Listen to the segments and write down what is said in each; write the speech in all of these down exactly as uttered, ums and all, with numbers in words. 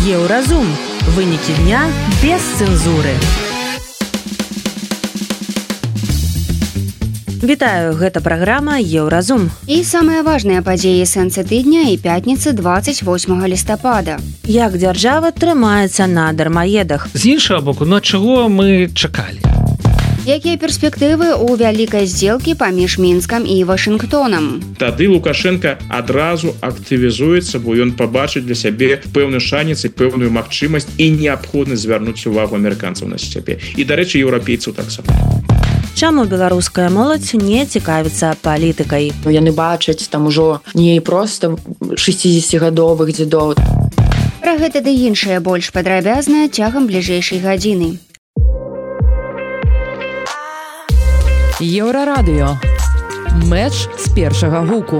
Еўразум. Вынікі дня без цэнзуры. Вітаю, гэта праграма Еўразум. І самыя важныя падзеі сэнсы тыдня і пятніцы двадцать восьмага лістапада. Як дзяржава трымаецца на дармаедах. З іншага боку, ну чаго мы чакалі? Якія перспектывы ў вялікай здзелкі паміж Мінскам і Вашынгтонам? Тады Лукашенко адразу актывізуецца, бо ён пабачыць для сябе пэўны шанец і пэўную магчымасць і неабходнасць звярнуць увагу амерыканцаў на сябе. І, дарэчы, еўрапейцаў таксама. Чаму беларуская моладзь не цікавіцца палітыкай? Яны бачаць там ужо не проста шэсцідзесяцігадовых дзедоў. Пра гэта ды іншае больш падрабязна цягам бліжэйшай гадзіны. Еўрарадыё. Мэч з першага гуку.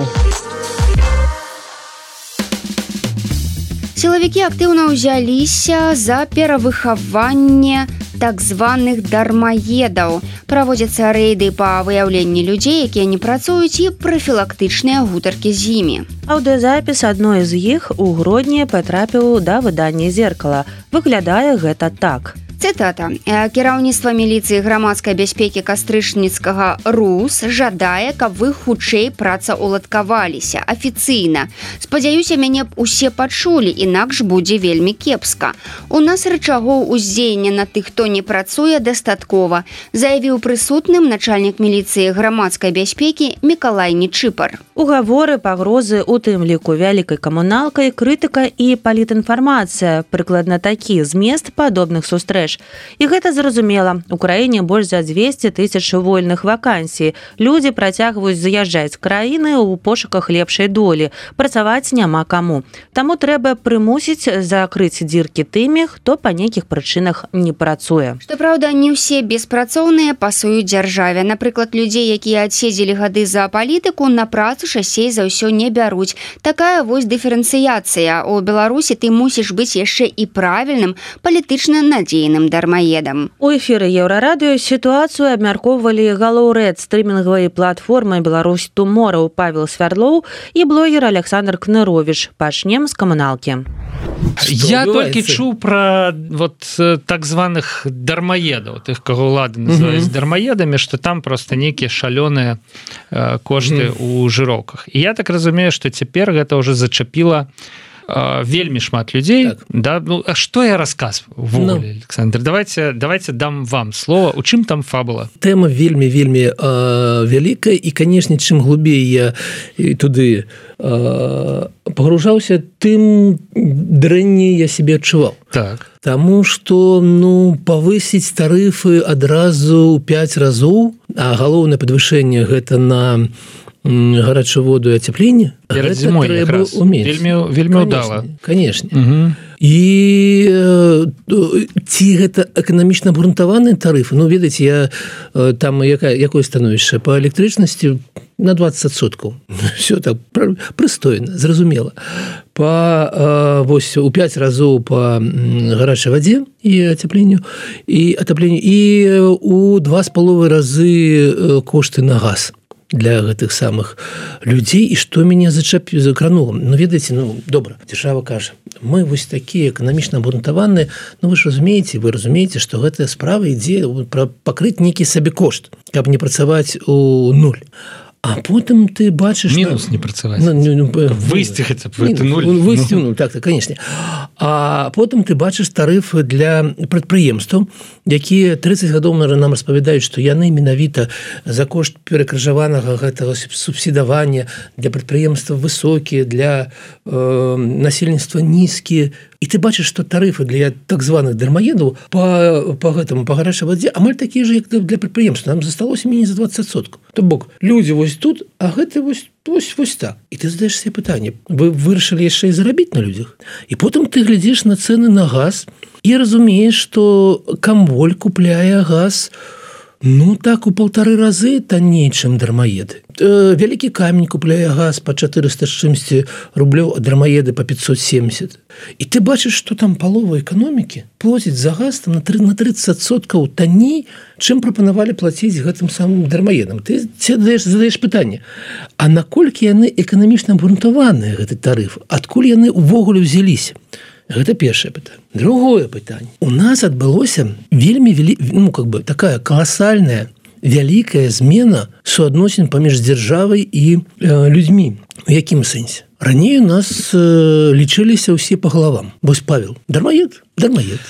Сілавікі актыўна ўзяліся за перавыхаванне так званых дармаедаў. Праводзяцца рэйды па выяўленні людзей, якія не працуюць, і прафілактычныя гутаркі з імі. Аўдыёзапіс адной з іх у грудні патрапіў да выдання «Зеркала». Выглядае гэта так. Цытата. Кіраўніцтва міліцыі грамадскай бяспекі кастрычніцкага РУС жадае, каб вы хутчэй працаўладкаваліся афіцыйна. Спадзяюся, мяне б усе пачулі, інакш будзе вельмі кепска. У нас рычагоў уздзеяння на тых, хто не працуе, дастаткова, заявіў прысутным начальнік міліцыі грамадскай бяспекі Мікалай Нечыпар. Угаворы, пагрозы, у тым ліку вялікай камуналкай, крытыка і палітінфармацыя. Прыкладна такі змест падобных сустрэч. І гэта зразумела. У краіне больш за дзвесце тысяч вольных вакансій. Людзі працягваюць заязджаць з краіны ў пошуках лепшай долі. Працаваць няма каму. Таму трэба прымусіць закрыць дзіркі тымі, хто па нейкіх прычынах не працуе. Што праўда, не ўсе беспрацоўныя пасуюць дзяржаве. Напрыклад, людзей, якія адседзелі гады за палітыку, на працу часцей за ўсё не бяруць. Такая вось дыферэнцыяцыя. У Беларусі ты мусіш быць яшчэ і правільным, палітычна надзейным дармаедам. У эфіры Еўрарадыё сітуацыю абмяркоўвалі галоўрэд стрымінгавай платформы «Беларусь Туморроу» Павел Свярлоў і блогер Александр Кнырович. Пачнем з камуналкі. Я толькі чуў пра вот так званых дармаедаў, тых, каго ўлады называюць дармаедамі, што там проста нейкія шалёныя э, кошты ў жыроўках. І я так разумею, што цяпер гэта ўжо зачапіла вельмі шмат людзей. Так. Да? Ну, а што я расказваю? Ввогуле, no. Александр, давайте, давайте дам вам слова. У чым там фабула? Тэма вельмі-вельмі э, вялікая, і, канешне, чым глубей я туды э, пагружаўся, тым дрэнней я себе адчуваў. Так. Таму што, ну, павысіць тарыфы адразу ў пяць разоў, а галоўнае падвышэнне гэта на гарачую воду і ацяпленне, перад зімой якраз вельмі, вельмі ўдала. Канешне. Угу. І ці гэта эканамічна абгрунтаваныя тарыфы? Ну, ведаеце, я там якая, якое становішча? Па электрычнасці на двадцать адсоткаў. Все так прыстойна, зразумела. Па, вось, у пяць разоў па гарачай вадзе і ацяпленню, і атапленню, і у два з паловай разы кошты на газ для гэтых самых людзей. І што мяне зачапіў, закранула? Ну, ведаеце, ну, добра, дзяржава кажа, мы вось такія эканамічна абгрунтаваныя, ну, вы ж разумееце, вы разумееце, што гэтая справа ідзе пра пакрыць нейкі сабекошт, каб не працаваць у нуль. А потым ты бачыш... Мінус не працаваць. Ну, ну, выйсці хаця б гэта нуль. Выйсці нуль, так, так, канешне. А потым ты бачыш тарыфы для прадпрыемстваў, якія трыццаць гадоў нам распавядаюць, што яны менавіта за кошт перакрыжаванага гэтага субсідавання для прадпрыемстваў высокія, для э, насельніцтва нізкія. І ты бачыш, што тарыфы для так званых дармаедаў па, па гэтаму, па гарачай вадзе амаль такія ж, як для прадпрыемства. Нам засталося меней за двадцать адсоткаў. То бок, людзі вось тут, а гэта вось, вось, вось так. І ты задаеш себе пытанне, вы вырашылі яшчэ і зарабіць на людзях? І потым ты глядзіш на цэны на газ і разумееш, што камволь купляе газ, ну так, у паўтары разы танней, чым дармаеды. Э, вялікі камень купляе газ па чатырыста з чымсьці рублёў, а дармаеды па пятьсот семьдесят. І ты бачыш, што там палова эканомікі плоціць за газ там, на тридцать адсоткаў танней, чым прапанавалі плаціць гэтым самым дармаедам. Ты задаеш, задаеш пытанне, а наколькі яны эканамічна абгрунтаваныя, гэты тарыф? Адкуль яны ўвогуле ўзяліся? Гэта першае пытанне. Другое пытанне. У нас адбылося вельмі вели... ну, как бы такая каласальная вялікая змена суадносін паміж дзяржавай і э, людзьмі. У якім сэнсе? Раней у нас э, лічыліся ўсе па галавам. Вось Павел, дармаед, дармаед.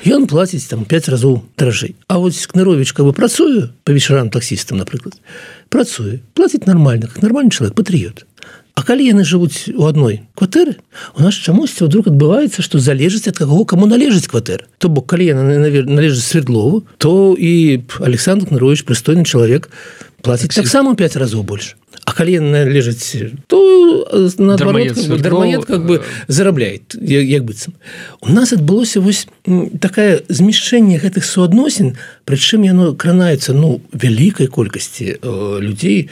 Ён плаціць там пяць разоў дражэй. А вось Кныровіч, каб працуе па вечарам таксістам, напрыклад, працуе, плаціць нармальна, как нармальны чалавек, патрыёт. А калі яны жывуць у адной кватэры, у нас чамусьці вдруг адбываецца, што залежыць ад каго, каму належыць кватэра. То бок, калі яна належыць Свердлову, то і Александр Кныровіч, прыстойны чалавек, плаціць таксама пяць разоў больш. А калі яна належыць, то наадварот, как бы, дармаед как бы зарабляет, як, як быццам. У нас адбылося вось такае змяшчэнне гэтых суадносін, прычым яно кранаецца, ну, вялікай колькасці э, людзей,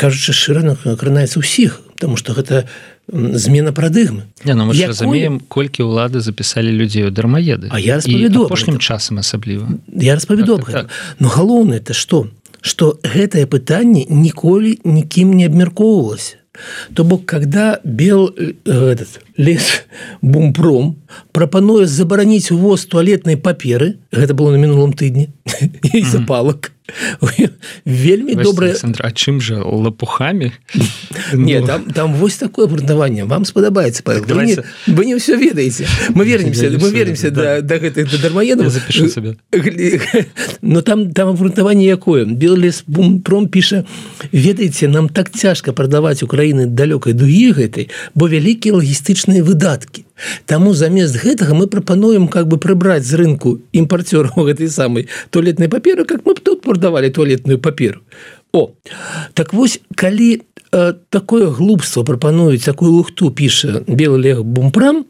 кажучы шчыра, кранаецца ўсіх, потому что гэта змена парадыгмы. Не, ну мы ж Якой... разумеем, колькі ўлады запісалі людзей у дармаеды. А я распавяду аб апошнім часам асабліва. Я распавяду аб гэтым. Но галоўнае это што? Што гэтае пытанне ніколі нікім не абмяркоўвалася. То бок, когда бел этот лес Бумпром прапануе забараніць увоз туалетнай паперы, гэта было на мінулым тыдні, і запалак, вельмі добрае... Александр, а чым жа, лопухамі? Не, там, там вось такое абгрунтаванне. Вам спадабаецца, Павел. Так, вы, не, вы не ўсё ведаеце. Мы вернемся, мы вернемся да, да гэтых да дармаедаў. Я запишу себе. Но там, там абгрунтаванне якое? Беллес Бумпром піша: ведаеце, нам так цяжка прадаваць Украіны далёкай дугі гэтай, бо вялікія лагістычныя выдаткі. Таму замест гэтага мы прапануем как бы прыбраць з рынку імпарцёраў гэтай самай туалетнай паперы, как мы тут прадавалі туалетную паперу. О, так вось, калі э, такое глупство прапануюць, такую лухту піша белы лег Бумпром,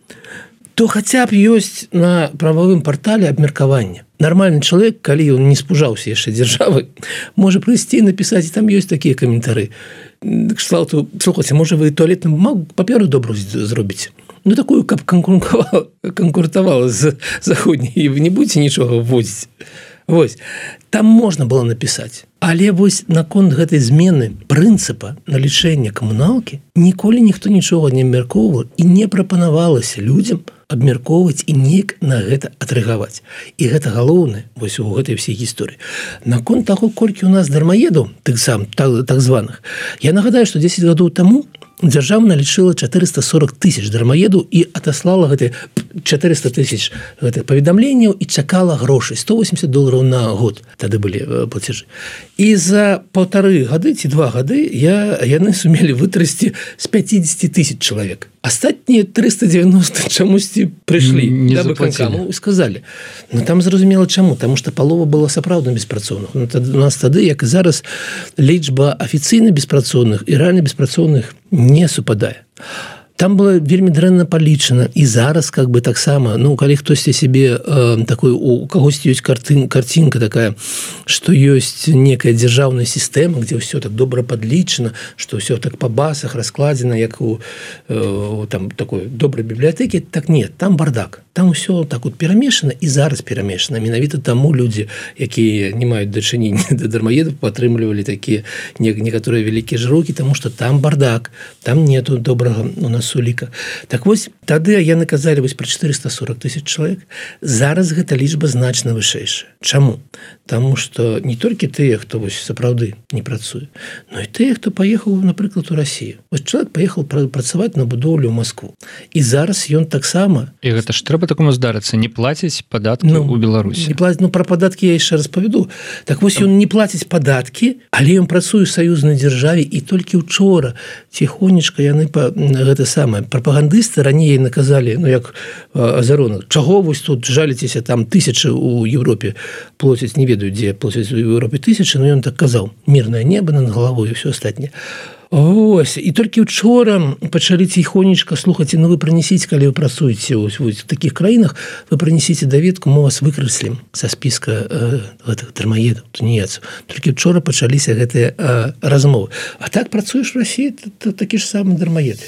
то хаця б ёсць на прававым партале абмеркаванне. Нармальны чалавек, калі ён не спужаўся яшчэ дзяржавы, можа прыйсці і напісаць, і там ёсць такія каментары. Кшталту, слухайце, можа вы туалетную бумагу, паперу добрую зробіце. Ну, такую, каб конкурентавала з заходняй, і вы не будете нічога вводзіць. Вось, там можна было напісаць. Але вось наконт гэтай змены прынцыпа налічэння камуналкі ніколі ніхто нічога не абмяркоўваў і не прапанавалася людзям абмяркоўваць і неяк на гэта адрэагаваць. І гэта галоўнае вось у гэтай всей гісторыі. Наконт таго, колькі у нас дармаедаў, тых сам, так, так званых, я нагадаю, што дзесяць гадоў таму дзяржава налічыла чатырыста сорок тысяч дармаедаў і атаслала гэты чатырыста тысяч гэтых паведамленняў і чакала грошай, сто восемьдесят долараў на год тады былі плацежы. І за паўтары гады ці два гады я, яны сумелі вытрасці з пятьдесят тысяч чалавек. Астатнія триста девяносто чамусьці прыйшлі да выканкаму і сказалі. Ну там зразумела чаму, таму што палова была сапраўдна беспрацоўных. Ну, у нас тады, як і зараз, лічба афіцыйна беспрацоўных і рэальна беспрацоўных не супадае. Там было вельмі дрэнна палічана, і зараз как бы таксама, ну, калі хтосьці сябе э, такой, у кагосьці ёсць картын, картинка такая, што ёсць некая дзяржаўная сістэма, где ўсё так добра падлічана, што ўсё так па басах раскладзена, як у э, там такой добрай бібліятэкі, так нет, там бардак. Там усё так вот перамешана і зараз перамешана. Менавіта таму людзі, якія не маюць дачынення да дармаедаў, падтрымлівалі такія некаторыя вялікія жыроўкі, таму што там бардак, там нету добрага у нас уліка. Так вось, тады яны казалі вось пра чатырыста сорок тысяч чалавек. Зараз гэта лічба значна вышэйшая. Чаму? Таму што не толькі тыя, хто вось сапраўды не працуе, но і тыя, хто паехаў, напрыклад, у Расію. Вось чалавек паехаў працаваць на будоўлю ў Маскву. І зараз ён таксама... І гэта ж трэба такому здарыцца, не плаціць падаткі ну, ў Беларусі. Не плаціць, ну, пра падаткі я яшчэ распавяду. Так вось ён не плаціць падаткі, але ён працуе ў саюзнай дзяржаве, і толькі ўчора ціхонечка яны па гэта самае прапагандысты раней наказалі, ну як Азаронак, чаго вось тут жаліцеся, там тысячы ў Европе плоцяць, не ведаю, дзе плоцяць у Европе тысячы, но ён так казаў, мірнае неба над галавой і ўсё астатняе. Ось, і толькі ўчора пачалі ціхонечка, слухайце, ну вы прынесіце, калі вы працуеце ось, ось, в такіх краінах, вы прынесіце даведку, мы вас выкрэслім са спіска э, гэтых дармаедаў, тунеецаў. Толькі ўчора пачаліся гэтыя э, размовы. А так працуеш в Расіі, то такі ж самы дармаеды.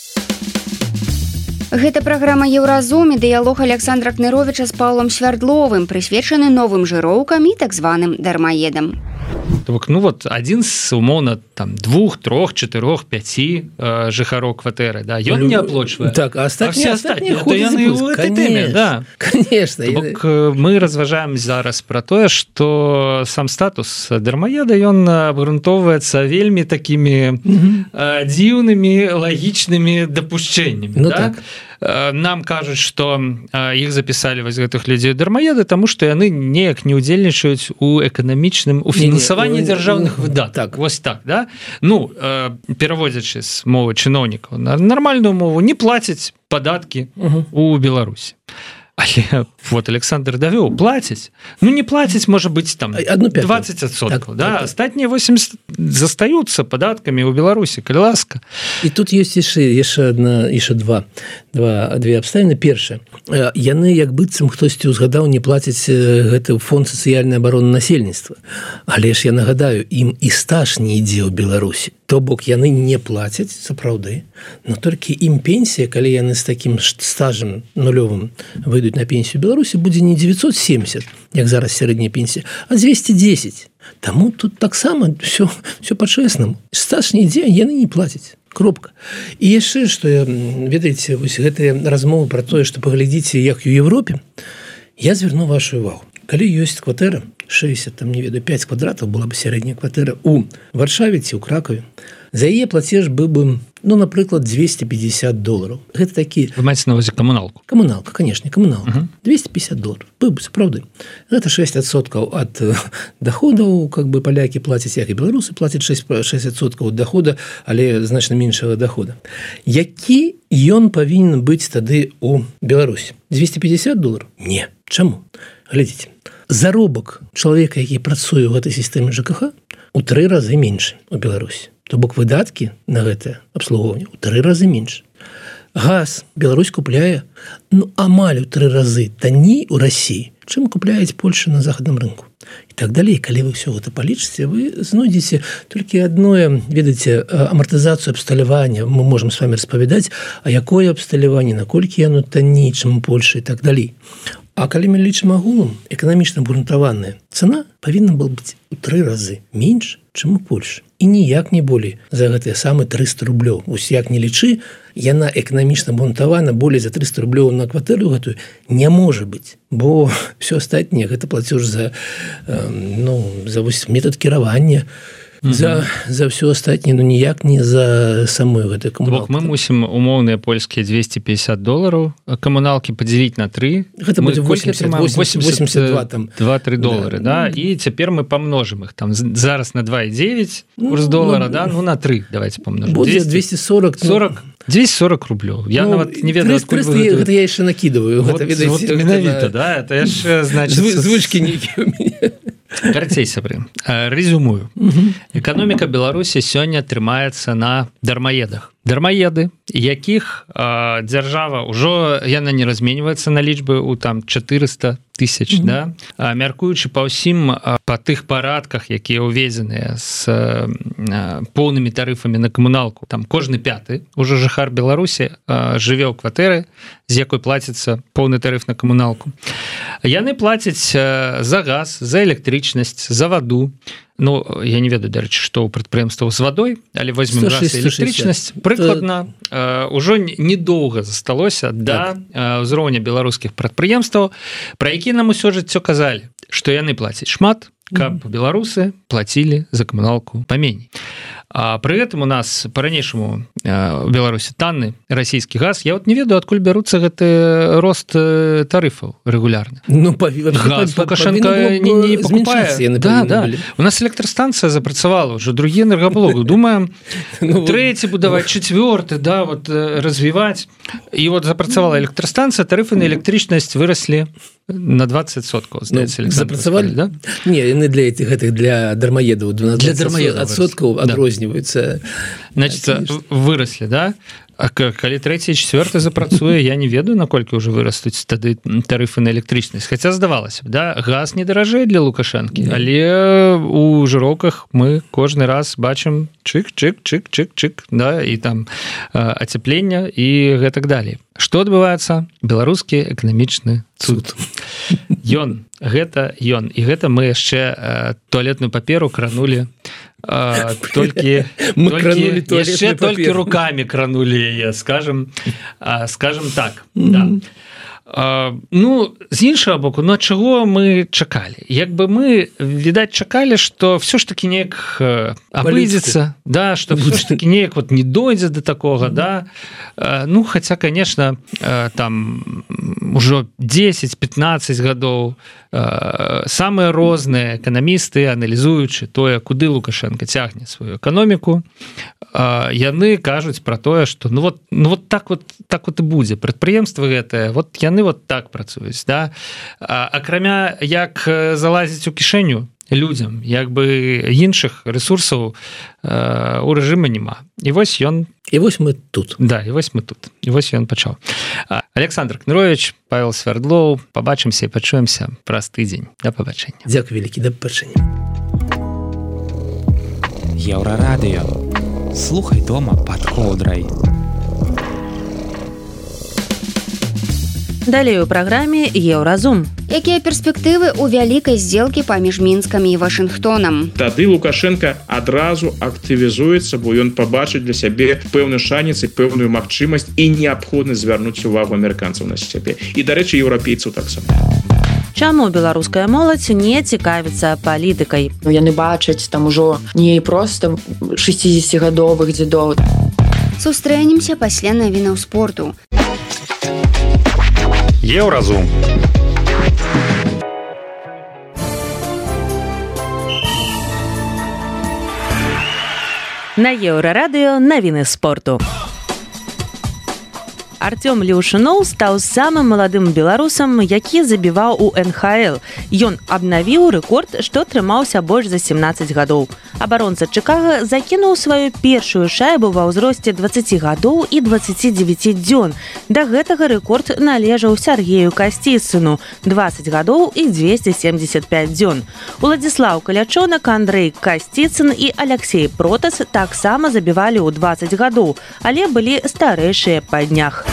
Гэта праграма «Еўразум» і дыялог Александра Кныровіча з Паўлам Свярдловым, прысвечаны новым жыроўкам і так званым дармаедам. То бок, ну вот адзін з умоўна там двух трох чатырох пяці э, жыхароў кватэры, да, ён не аплочвае, так, а астатнія, а астатнія яны ў этой тэме, да. Конечно. То бок, мы разважаем зараз пра тое, што сам статус дармаеда ён абгрунтоўваецца вельмі такімі э, дзіўнымі лагічнымі дапушчэннямі, ну, да? Так. Нам кажуць, што іх запісалі вось гэтых людзей дармаеды, таму што яны неяк не ўдзельнічаюць у эканамічным у фінансаванні дзяржаўных выдаткаў. Так. Вось так, да? Ну, пераводзячы з мовы чыноўнікаў на нармальную мову, не плацяць падаткі uh-huh. у Беларусі. Але вот Александр давёў, плацяць. Ну, не плацяць, можа быць, там, двадцать адсоткаў, так, да? Так, астатнія восемьдесят застаюцца падаткамі ў Беларусі, калі ласка. І тут ёсць яшчэ, яшчэ адна, яшчэ два, два, две абставіны. Першае, яны, як быццам хтосьці ўзгадаў, не плацяць гэты фонд сацыяльнай абароны насельніцтва. Але ж я нагадаю, ім і стаж не ідзе ў Беларусі. То бок яны не плацяць, сапраўды, но толькі ім пенсія, калі яны з такім стажам нулёвым выйдуць на пенсію Беларусі, будзе не девятьсот семьдесят, як зараз сярэдняя пенсія, а двести десять. Таму тут таксама все, все па-чэснаму. Стаж не ідзе, яны не плацяць. Кропка. І яшчэ, што, ведаеце, вось гэтыя размовы пра тое, што паглядзіце, як у Европе, я звярну вашу увагу. Калі ёсць кватэра, шестьдесят, там, не ведаю, пять квадратаў была бы сярэдняя кватэра у Варшаве ці ў Кракаве, за яе плацеж быў бы, ну, напрыклад, двести пятьдесят долларов. Гэта такі... Вы маеце на ўвазе камуналку? Камуналка, конечно, камуналка. Uh-huh. двести пятьдесят долларов. Быў бы, сапраўды. Гэта шесть адсоткаў ад доходаў, как бы палякі плацяць, як і беларусы плацяць шесть адсоткаў ад дохода, але значна меншага дохода. Які ён павінен быць тады у Беларусі? двести пятьдесят долларов? Не. Чаму? Глядзіце. Заробак чалавека, які працуе ў гэтай сістэме ЖКХ, у тры разы меншы у Беларусі. То бок выдаткі на гэтае абслугоўванне ў тры разы менш. Газ Беларусь купляе, ну, амаль у тры разы танней у Расіі, чым купляюць Польша на захадным рынку. І так далей. Калі вы ўсё гэта палічыце, вы знойдзеце толькі адное, ведаеце, амартызацыю абсталявання. Мы можам з вами распавядаць, а якое абсталяванне, наколькі яно танней, чым у Польшы і так далей. А калі мы лічым агулам, эканамічна абгрунтаваная цана павінна была быць у тры разы менш, чым у Польшы. І ніяк не болей за гэтыя самы триста рублёў. Вось як не лічы, яна эканамічна абгрунтавана болей за триста рублёў на кватэру гэтую не можа быць, бо все астатняе гэта плацеж за, ну, за вось метод кіравання, Mm-hmm. За, за все астатняе, ну ніяк не за самую гэтую камуналку. Мы мусім умоўныя польскія двести пятьдесят долларов камуналкі падзяліць на тры. Гэта будзе восемьдесят два там. два-тры доллары, да. да. І цяпер мы памножым іх там зараз на два і дзевяць курс ну, доллара, ну, да, ну на тры давайте памножым. Будзе двести сорок, сорок, двести сорок рублёў. Я ну, нават не ведаю, адкуль вы гэта... Гэта я яшчэ накидываю. Вот, гэта, вот менавіта, да, это яшчэ, значит... Звычкі нейкія у мяне. Карацей, сябры, резюмую. Эканоміка Беларусі сёння трымаецца на дармаедах. Дармаеды, якіх э, дзяржава ўжо яна не разменьваецца на лічбы у там четыреста тысяч, mm-hmm. да? А, мяркуючы па ўсім па тых парадках, якія ўведзеныя з э, поўнымі тарыфамі на камуналку, там кожны пяты ўжо жыхар Беларусі э, жыве ў кватэры, з якой плаціцца поўны тарыф на камуналку. Яны плацяць э, за газ, за электрычнасць, за ваду. Ну, я не ведаю, дарэчы, што ў прадпрыемстваў з вадой, але возьмем газ і электрычнасць. Прыкладна, э, ўжо недоўга засталося да э, ўзроўня беларускіх прадпрыемстваў, пра які нам усё жыццё казалі, што яны плацяць шмат, каб mm-hmm. беларусы плацілі за камуналку паменей. А пры гэтым у нас па-ранейшаму у Беларусі танны расійскі газ. Я вот не ведаю, адкуль бяруцца гэты рост тарыфаў рэгулярны. Ну, паві... газ Лукашенко не, не покупае. Да, да. У нас электрастанцыя запрацавала ўжо другі энергаблок. Думаем, ну, трэці будаваць, чацвёрты, да, вот развіваць. І вот запрацавала электрастанцыя, тарыфы на электрычнасць выраслі на двадцать адсоткаў, здаецца, ну, запрацавалі, да? Не, яны для этих гэтых для дармаедаў двенадцать адсоткаў адрозніваюцца. Значит, выросли, да? А калі трэці чавёрты запрацуе, я не ведаю, наколькі ўжо вырастуць тады тарыфы на электрычнасць. Хаця здавалася б, да, газ не даражэй для Лукашэнкі, але у жыроўках мы кожны раз бачым чык-чык-чык-чык-чык, да, і там ацяплення і гэтак далей. Што адбываецца? Беларускі эканамічны цуд. Ён, гэта ён. І гэта мы яшчэ туалетную паперу кранулі А, толькі, толькі яшчэ толькі руками кранулі яе, скажем, а, скажем так, mm-hmm. да. А, ну, з іншага боку, ну, чаго мы чакалі? Як бы мы, відаць, чакалі, што все ж таки неяк абыдзецца, да, што все ж таки неяк вот не дойдзе до такога, mm-hmm. да. А, ну, хаця, конечно, там ужо дзесяць-пятнаццаць гадоў самыя розныя эканамісты, аналізуючы тое, куды Лукашенко цягне сваю эканоміку, яны кажуць пра тое, што ну вот, ну вот так вот так вот і будзе. Прадпрыемствы гэтыя, вот яны вот так працуюць, да. Акрамя як залазіць у кішэню людзям, як бы іншых рэсурсаў у рэжыма няма. І вось ён І вось мы тут. Да, і вось мы тут. І вось ён пачаў. Александр Кнырович, Павел Свердлоў, пабачымся і пачуемся праз тыдзень. Да пабачэння. Дзякуй вялікі, да пабачэння. Еўрарадыё. Слухай дома пад коўдрай. Далей у праграме Еўразум. Якія перспектывы ў вялікай здзелкі паміж Мінскам і Вашынгтонам? Тады Лукашенко адразу актывізуецца, бо ён пабачыць для сябе пэўны шанец і пэўную магчымасць і неабходнасць звярнуць увагу амерыканцаў на сябе. І, дарэчы, еўрапейцаў таксама. Чаму беларуская моладзь не цікавіцца палітыкай? Ну, яны бачаць там ужо не проста шэсцідзесяцігадовых дзедоў. Сустрэнемся пасля навінаў спорту. Еўразум. На Еўрарадыё навіны спорту. Артём Леўшыноў стаў самым маладым беларусам, які забіваў у эн ха эл. Ён абнавіў рэкорд, што трымаўся больш за семнаццаць гадоў. Абаронца Чыкага закінуў сваю першую шайбу ва ўзросце дваццаці гадоў і дваццаці дзевяці дзён. Да гэтага рэкорд належаў Сергею Касціцыну – дваццаць гадоў і дзвесце семдзесят пяць дзён. Уладзіслаў Калячонак, Андрэй Касціцын і Аляксей Протас таксама забівалі ў дваццаць гадоў, але былі старэйшыя па днях.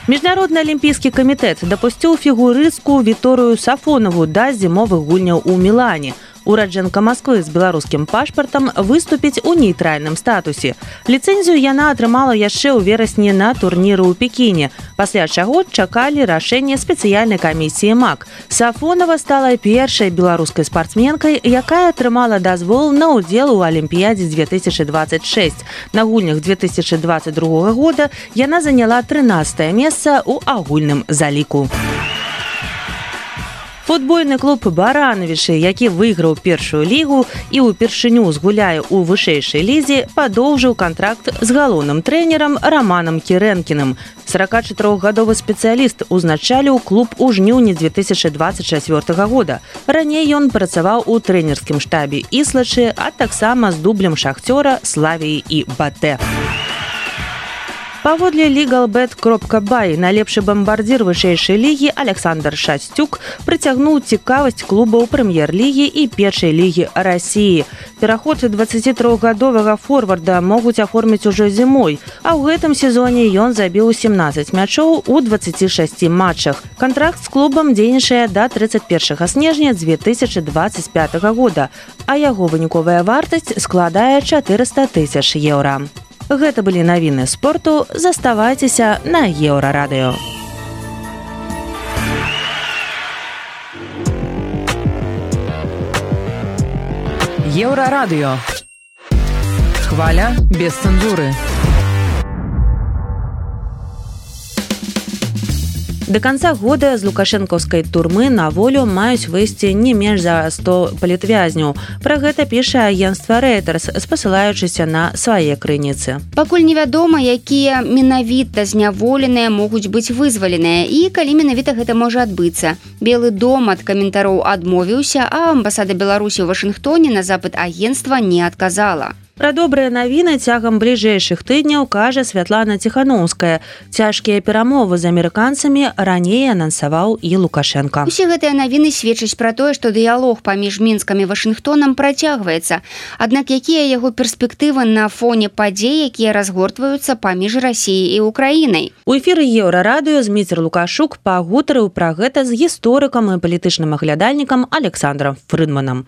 Міжнародны алімпійскі камітэт дапусціў фігурыстку Віторыю Сафонаву да зімовых гульняў у Мілане. Ураджэнка Масквы з беларускім пашпартам выступіць у нейтральным статусе. Ліцэнзію яна атрымала яшчэ ў верасні на турніры ў Пекіне, пасля чаго чакалі рашэнне спецыяльнай камісіі МАК. Сафонава стала першай беларускай спартсменкай, якая атрымала дазвол на ўдзел у Алімпіядзе две тысячы дваццаць шэсць. На гульнях две тысячы дваццаць другога года яна заняла трынаццатае месца ў агульным заліку. Футбольны клуб «Барановічы», які выйграў першую лігу і ўпершыню згуляе ў вышэйшай лізе, падоўжыў кантракт з галоўным трэнерам Раманам Кірэнкіным. сорокачатырохгадовы спецыяліст узначаліў клуб у жніўні две тысячы дваццаць чацвёртага года. Раней ён працаваў у трэнерскім штабе Іслачы, а таксама з дублем Шахцёра, Славіі і Батэ. Паводле лігалбет кропка бай найлепшы бамбардзір вышэйшай лігі Александр Шасцюк прыцягнуў цікавасць клубаў прэм'ер-лігі і першай лігі Расіі. Пераход дваццацітрохгадовага форварда могуць аформіць ужо зімой, а ў гэтым сезоне ён забіў сямнаццаць мячоў у дваццаці шасці матчах. Кантракт з клубам дзейнічае да трыццаць першага снежня две тысячы дваццаць пятага года, а яго выніковая вартасць складае чатырыста тысяч еўра. Гэта былі навіны спорту. Заставайцеся на Еўрарадыё. Еўрарадыё. Хваля без цэнзуры. До конца года з лукашэнкаўскай турмы на волю маюць выйсці не менш за сто палітвязняў. Пра гэта піша агенцтва Reuters, спасылаючыся на свае крыніцы. Пакуль невядома, якія менавіта зняволеныя могуць быць вызваленыя і калі менавіта гэта можа адбыцца. Белы дом ад каментароў адмовіўся, а амбасада Беларусі ў Вашынгтоне на запыт агенцтва не адказала. Пра добрыя навіны цягам бліжэйшых тыдняў кажа Святлана Ціхановская. Цяжкія перамовы з амерыканцамі раней анансаваў і Лукашенко. Усе гэтыя навіны сведчаць пра тое, што дыялог паміж Мінскам і Вашынгтонам працягваецца. Аднак якія яго перспектывы на фоне падзей, якія разгортваюцца паміж Расіяй і Украінай? У эфіры Еўрарадыё Зміцер Лукашук пагутарыў пра гэта з гісторыкам і палітычным аглядальнікам Александром Фрыдманам.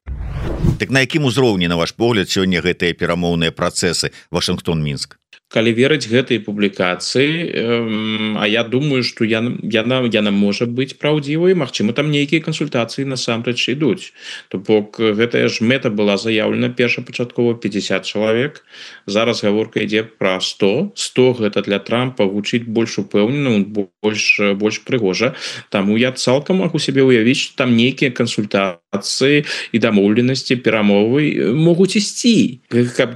Так на якім узроўні, на ваш погляд, сёння гэтыя перамоўныя працэсы Вашынгтон-Мінск? Калі верыць гэтай публікацыі, э, а я думаю, што яна, яна, яна можа быць праўдзівай, магчыма, там нейкія кансультацыі насамрэч ідуць. То бок гэтая ж мэта была заяўлена першапачаткова пятьдесят чалавек. Зараз гаворка ідзе пра сто. сто гэта для Трампа гучыць больш упэўнена, больш, больш прыгожа. Таму я цалкам магу сябе ўявіць, што там нейкія кансультацыі і дамоўленасці, перамовы могуць ісці. Каб,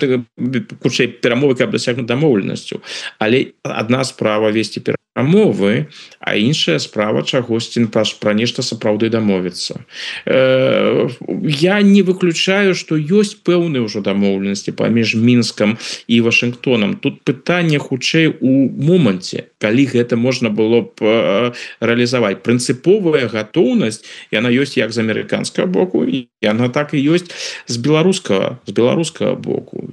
хутчэй, перамовы, каб дасягнуць дамоўленасцю. Але адна справа весці перамовы, а іншая справа чагосьці пра нешта сапраўды дамовіцца. Э, я не выключаю, што ёсць пэўныя ўжо дамоўленасці паміж Мінскам і Вашынгтонам. Тут пытанне хутчэй у моманце, калі гэта можна было б э, рэалізаваць. Прынцыповая гатоўнасць, яна ёсць як з амерыканскага боку, і яна так і ёсць з беларускага, з беларускага боку.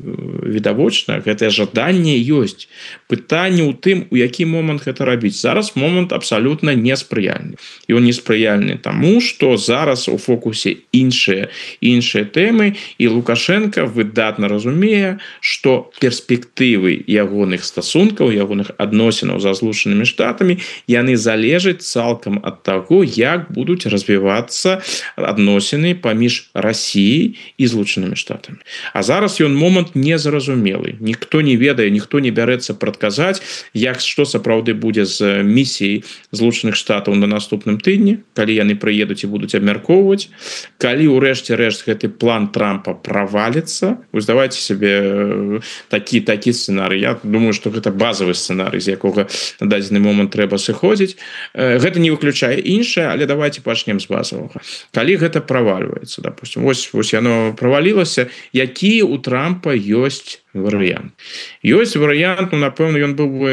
Відавочна, гэтае жаданне ёсць. Пытанне ў тым, у які момант гэта рабіць. Зараз момант абсалютна неспрыяльны. Ён неспрыяльны таму, што зараз у фокусе іншыя іншыя тэмы, і Лукашенко выдатна разумее, што перспектывы ягоных стасункаў, ягоных адносінаў за Злучанымі Штатамі, яны залежаць цалкам ад таго, як будуць развівацца адносіны паміж Расіяй і Злучанымі Штатамі. А зараз ён момант незразумелы. Ніхто не ведае, ніхто не бярэцца прадказаць, як што сапраўды будзе з місіяй Злучаных Штатаў на наступным тыдні, калі яны прыедуць і будуць абмяркоўваць, калі ўрэшце рэшт гэты план Трампа праваліцца. Вы здавайце сабе такі такі сцэнарый. Я думаю, што гэта базавы сцэнарый, з якога на дадзены момант трэба сыходзіць. Гэта не выключае іншае, але давайте пачнем з базавага. Калі гэта правальваецца, допустим, вось, вось яно правалілася, які у Трампа ёсць варыянт. Ёсць варыянт, ну, напэўна, ён быў бы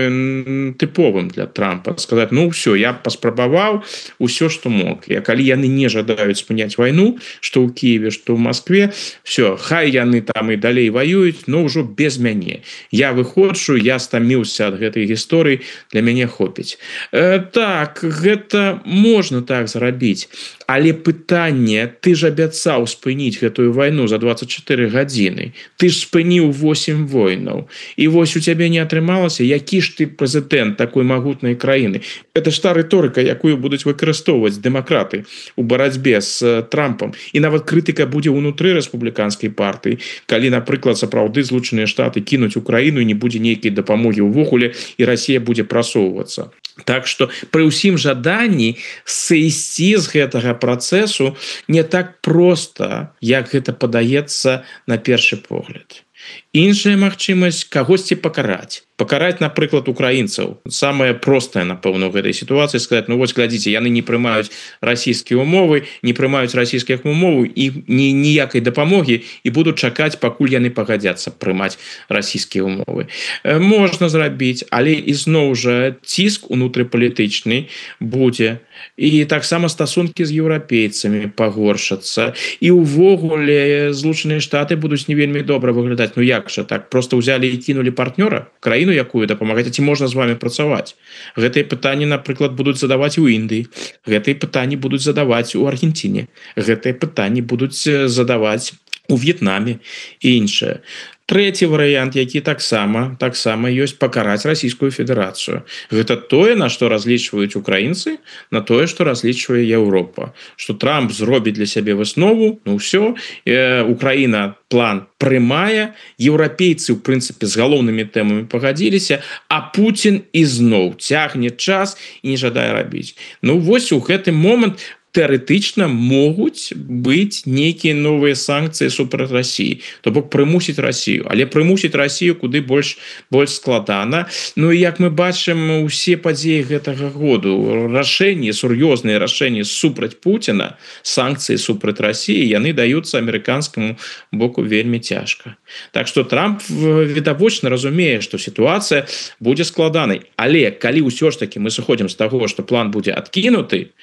тыповым для Трампа. Сказаць, ну, ўсё, я паспрабаваў усё, што мог. І калі яны не жадаюць спыняць вайну, што ў Киеве, што ў Москве, все, хай яны там і далей ваююць, но ўжо без мяне. Я выходжу, я стаміўся ад гэтай гісторыі, для мяне хопіць. Э, так, гэта можна так зрабіць. Але пытанне, ты ж абяцаў спыніць гэтую вайну за двадцать четыре гадзіны. Ты ж спыніў восемь войнаў. І вось у цябе не атрымалася, які ж ты прэзідэнт такой магутнай краіны. Это ж та рыторыка, якую будуць выкарыстоўваць дэмакраты у барацьбе з Трампам. І нават крытыка будзе ўнутры рэспубліканскай партыі, калі, напрыклад, сапраўды Злучаныя Штаты кінуць Украіну і не будзе нейкай дапамогі ўвогуле, і Расія будзе прасоўвацца. Так што пры ўсім жаданні сысці з гэтага працэсу не так проста, як гэта падаецца на першы погляд. Іншая магчымасць кагосьці пакараць. Пакараць, напрыклад, украінцаў. Самае простае, напэўна, ў гэтай сітуацыі сказаць, ну вось, глядзіце, яны не прымаюць расійскія умовы, не прымаюць расійскіх умоваў і ні, ніякай дапамогі і будуць чакаць, пакуль яны пагадзяцца прымаць расійскія умовы. Можна зрабіць, але ізноў жа ціск унутрыпалітычны будзе. І таксама стасункі з еўрапейцамі пагоршацца. І ўвогуле Злучаныя Штаты будуць не вельмі добра выглядаць. Ну як жа так? Просто ўзялі і кінулі партнёра? Краіну, якую дапамагаць, ці можна з вами працаваць? Гэтыя пытанні, напрыклад, будуць задаваць у Індыі. Гэтыя пытанні будуць задаваць у Аргентине. Гэтыя пытанні будуць задаваць у В'етнаме і іншае. Трэці варыянт, які таксама таксама ёсць пакараць Расійскую Федэрацыю. Гэта тое, на што разлічваюць украінцы, на тое, што разлічвае Еўропа. Што Трамп зробіць для сябе выснову, ну ўсё, э, Украіна план прымае, еўрапейцы, у прынцыпе, з галоўнымі тэмамі пагадзіліся, а Пуцін ізноў цягне час і не жадае рабіць. Ну вось у гэты момант тэарэтычна могуць быць нейкія новыя санкцыі супраць России, то бок прымусіць Россию, але прымусіць Россию куды больш больш складана. Ну і як мы бачым усе падзеі гэтага году, рашэнні, сур'ёзныя рашэнні супраць Путина, санкцыі супраць России, яны даюцца амерыканскаму боку вельмі цяжка. Так что Трамп відавочна разумее, што сітуацыя будзе складанай, але калі ўсё ж таки мы сыходзім з таго, што план будзе адкінуты,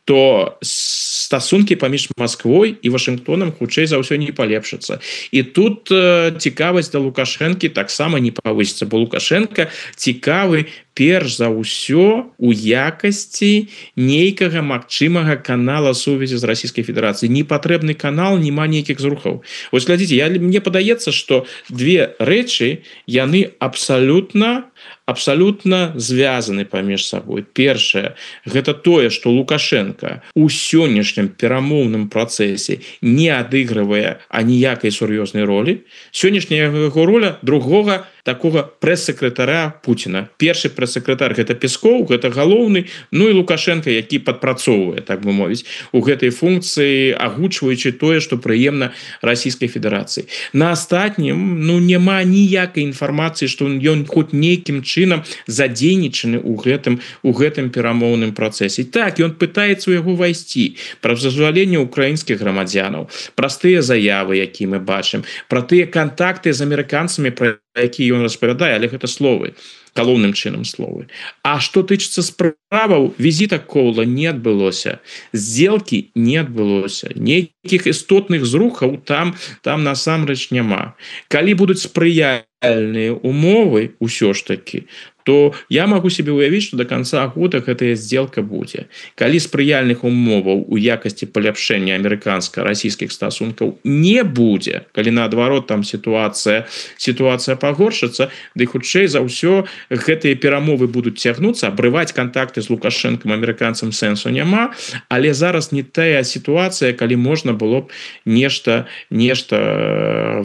то стасункі паміж Москвой і Вашингтонам хутчэй за ўсё не палепшацца. І тут э, цікавасць да Лукашэнкі таксама не павысіцца, бо Лукашенко цікавы перш за ўсё у якасці нейкага магчымага канала сувязі з Расійскай Федэрацыяй. Не патрэбны канал, няма нейкіх зрухаў. Вось глядзіце, я, мне падаецца, што две рэчы яны абсалютна абсалютна звязаны паміж сабой. Першае, гэта тое, што Лукашенко у сённяшнім перамоўным працэсе не адыгрывае аніякай сур'ёзнай ролі. Сённяшняя яго роля другога такога прэс-сакратара Путина. Першы прэс-сакратар гэта Пескоў, гэта галоўны, ну і Лукашенко, які падпрацоўвае, так бы мовіць, у гэтай функцыі, агучваючы тое, што прыемна Расійскай Федэрацыі. На астатнім, ну, няма ніякай інфармацыі, што ён хоць нейкім чынам задзейнічаны ў гэтым у гэтым перамоўным працэсе. Так, ён пытаецца ў яго вайсці пра зазваленне украінскіх грамадзянаў, праз тыя заявы, які мы бачым, пра тыя кантакты з амерыканцамі, пра якія ён распавядае, але гэта словы, галоўным чынам словы. А што тычыцца справаў, візіта Коула не адбылося, здзелкі не адбылося, нейкіх істотных зрухаў там там насамрэч няма. Калі будуць спрыяльныя умовы ўсё ж такі, то я могу себе уявіць, што до конца года гэтая сделка будзе. Калі спрыяльных умоваў у якасці паляпшэння амерыканска-расійскіх стасункаў не будзе, калі наадварот там сітуацыя сітуацыя пагоршыцца, ды хутчэй за ўсё гэтыя перамовы будуць цягнуцца, абрываць контакты з Лукашэнкам амерыканцам сэнсу няма, але зараз не тая сітуацыя, калі можна было б нешта нешта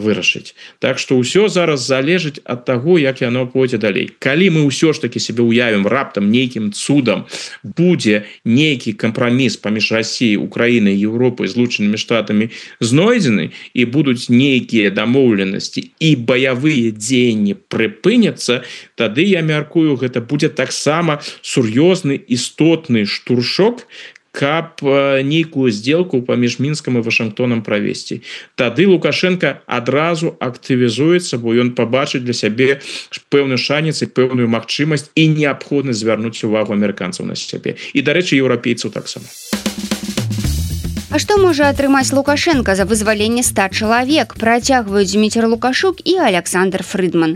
вырашыць. Так што ўсё зараз залежыць ад таго, як яно пойдзе далей. Калі мы ўсё ж таки себе уявім раптам нейкім цудам будзе нейкі кампраміс паміж Расіяй, Украінай, Еўропай, Злучанымі Штатамі знойдзены і будуць нейкія дамоўленасці і баявыя дзеянні прыпыняцца, тады я мяркую, гэта будзе таксама сур'ёзны істотны штуршок, каб нейкую сделку паміж Мінскам і Вашингтонам правесці. Тады Лукашенко адразу актывізуецца, бо ён пабачыць для сябе пэўны шанец і пэўную магчымасць і неабходнасць звярнуць увагу амерыканцаў на сябе. І, дарэчы, еўрапейцаў таксама. А што можа атрымаць Лукашенко за вызваленне ста чалавек? Працягваюць Дзміцер Лукашук і Александр Фрыдман.